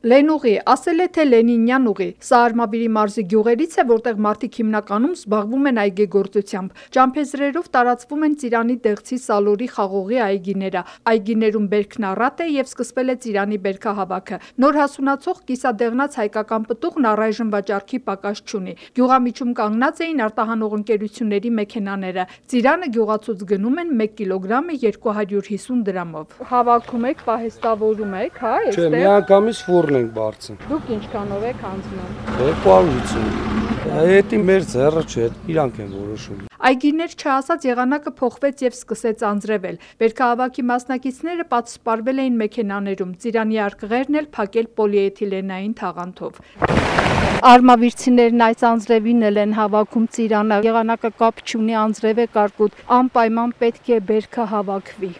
Լենուղի, ասել է թե Լենինյան ուղի։ Սա Արմավիրի մարզի գյուղերից է, որտեղ մարդիկ հիմնականում զբաղվում են այգեգործությամբ։ Ճամփեզրերով տարածվում են Ծիրանի դեղցի Սալորի խաղողի այգիները։ Այգիներում բերքն առատ է եւ սկսվել է Ծիրանի բերքահավաքը։ Նոր հասունացող կիսադեղնած հայկական պտուղն առայժմ վաճառքի պակաս չունի։ Գյուղամիջում կանգնած էին արտահանող ընկերությունների մեքենաները։ Ծիրանը գյուղացուց գնում են 1 կիլոգրամը 250 դրամով։ Հավաքում եք, պահեստավորում եք, հա, Չէ, միանգամից ֆուրն ենք բարձում։ Դուք ինչքանով եք հանձնում։ 250։ Հետի մեր ձեռը չէ, իրանք են որոշում։ Այգիներ չհասած եղանակը փոխվեց եւ սկսեց անձրևել։ Բերքահավաքի մասնակիցները պատսպարվել էին մեքենաներում, Ծիրանի արկղերն էլ փակել պոլիէթիլենային թաղանթով։ Արմավիրցիներն այս անձրևին էլ են հավաքում Ծիրանը։ Եղանակը կապ չունի, անձրև է կարկուտ, անպայման պետք է բերքը հավաքվի։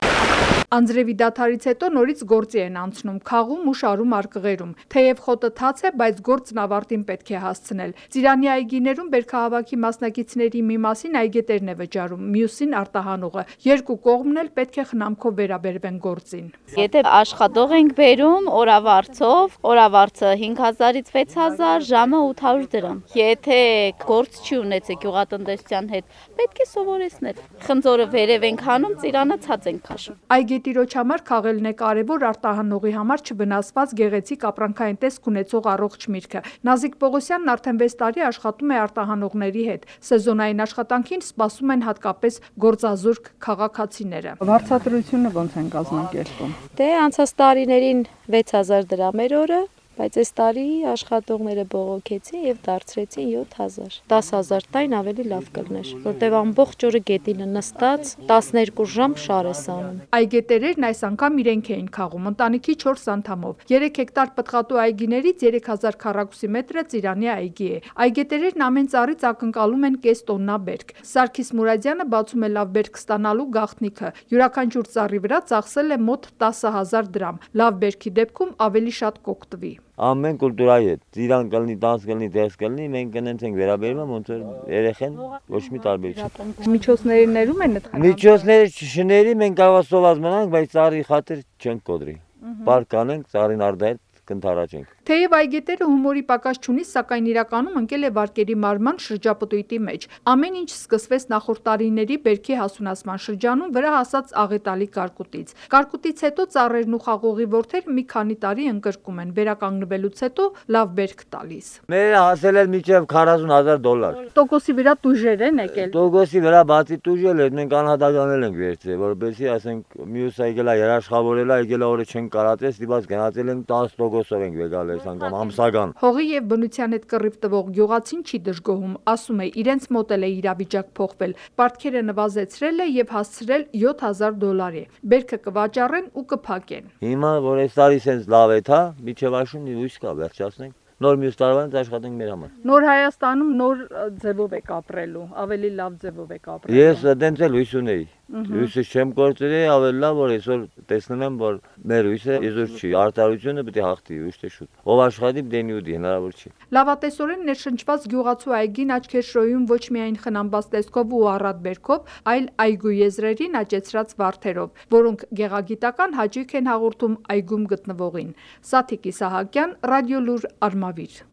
Անձրևի դադարից հետո նորից գործի են անցնում, քաղում ու շարում արկղերում։ Թեև խոտը թաց է, բայց գործն ավարտին պետք է հասցնել։ Ծիրանի այգիներում բերքահավաքի մասնակիցների մի մասին այգետերն է վճարում, մյուսին արտահանողը։ Երկու կողմն էլ պետք է խնամքով վերաբերվեն գործին։ Եթե աշխատող ենք բերում օրավարձով, օրավարձը 5000-ից 6000, ժամը 800 դրամ։ Եթե գործ չի ունեցել գյուղատնտեսության հետ, պետք է սովորեցնել։ Խնձորը վերև ենք հանում, Ծիրանը ցած ենք քաշում։ Այգետիրոջ համար քաղելն է կարևոր, արտահանողի համար չվնասված գեղեցիկ ապրանքային տեսք ունեցող առողջ միրգը։ Նազիկ Պողոսյանն արդեն 6 տարի աշխատում է արտահանողների հետ։ Սեզոնային աշխատանքին սպասում են հատկապես գործազուրկ քաղաքացիները։ Վարձատրությունը ոնց են կազմակերպում։ Դե անցած տարիներին 6000 դրամ էր օրը, բայց այս տարի աշխատողները բողոքեցին եւ դարձրեցին 7000։ 10000 տայն ավելի լավ կլներ, որտեւ ամբողջ օրը գետինը նստած 12 ժամ շար է սանում։ Այգետերերն այս անգամ իրենք էին քաղում, ընտանիքի 4 անդամով։ 3 հեկտար պտղատու այգիներից 3000 քառակուսի մետրը Ծիրանի այգի է։ Այգետերերն ամեն ծառից ակնկալում են կես տոննա բերք։ Սարգիս Մուրադյանը բացում է լավ բերք ստանալու գաղտնիքը։ Յուրաքանչյուր ծառի վրա ծախսել է մոտ 10000 դրամ։ Լավ բերքի դեպքում ավելի շատ կօգտվի։ Ամեն կուլտուրայի հետ, Ծիրան կլինի, տանց կլինի, դես կլինի, մենք կնենց ենք վերաբերվում, ոնց որ երեխեն ոչ մի տարբերություն։ Միջոցների ներում են այդ։ Միջոցները չների, մենք կարող սոված մնանք, բայց ծառի խաթր չենք կոդրի։ Պարկ կանենք, ծառին արդահետ կընթարաճենք։ Թեև այգետերը հումորի պակաս չունի, սակայն իրականում ընկել է վարկերի մարման շրջապտույտի մեջ։ Ամեն ինչ սկսվեց նախորդ տարիների բերքի հասունացման շրջանում վրա հասած աղետալի կարկուտից։ Կարկուտից հետո ծառերն ու խաղողի որդերը մի քանի տարի ընկրկում են, վերականգնվելուց հետո լավ բերք տալիս։ Մեր հասել է մինչև $40000։ Տոկոսի վրա տուժեր են եկել։ Տոկոսի վրա բացի տուժել է, մենք անհատականել ենք վերցրել, որովհետեւ ասենք մյուս այգելա երաշխավորել է, այգելա օրը չեն կարածել, դիպած գնացել ենք 10%-ով ենք եկալ այս անգամ ամսական։ Հողի եւ բնության հետ կռիվ տվող գյուղացին չի դժգոհում, ասում է իրենց մոտ էլ է իրավիճակ փոխվել։ Պարտքերը նվազեցրել է եւ հասցրել $7000 է։ Բերքը կվաճառեն ու կփակեն։ Հիմա որ այս տարի sense լավ է, թա, միջև աշունի լույս կա, վերջացնենք։ Նոր մյուս տարվանից աշխատենք մեր համար։ Նոր Հայաստանում նոր ձևով եք ապրելու, ավելի լավ ձևով եք ապրելու։ Ես դենց էլ հույս ունեի։ Հույսը չեմ կորցրել, ավելի լավ որ այսօր տեսնում եմ, որ մեր հույսը իզուր չի, արտարությունը պետք է հաղթի, ոչ թե շուտ։ Ով աշխատի դենի ու դի, հնարավոր չի։ Լավատեսորեն ներշնչված գյուղացու այգին աչքեր շոյում ոչ միայն խնամված տեսքով ու առատ բերքով, այլ այգու եզրերին աճեցրած վարդերով, որոնք գեղագիտական հաճույք են հաղորդում այգում գտնվողին։ Սաթիկ Իսահակյան, Ռադիոլուր, Արմավիր։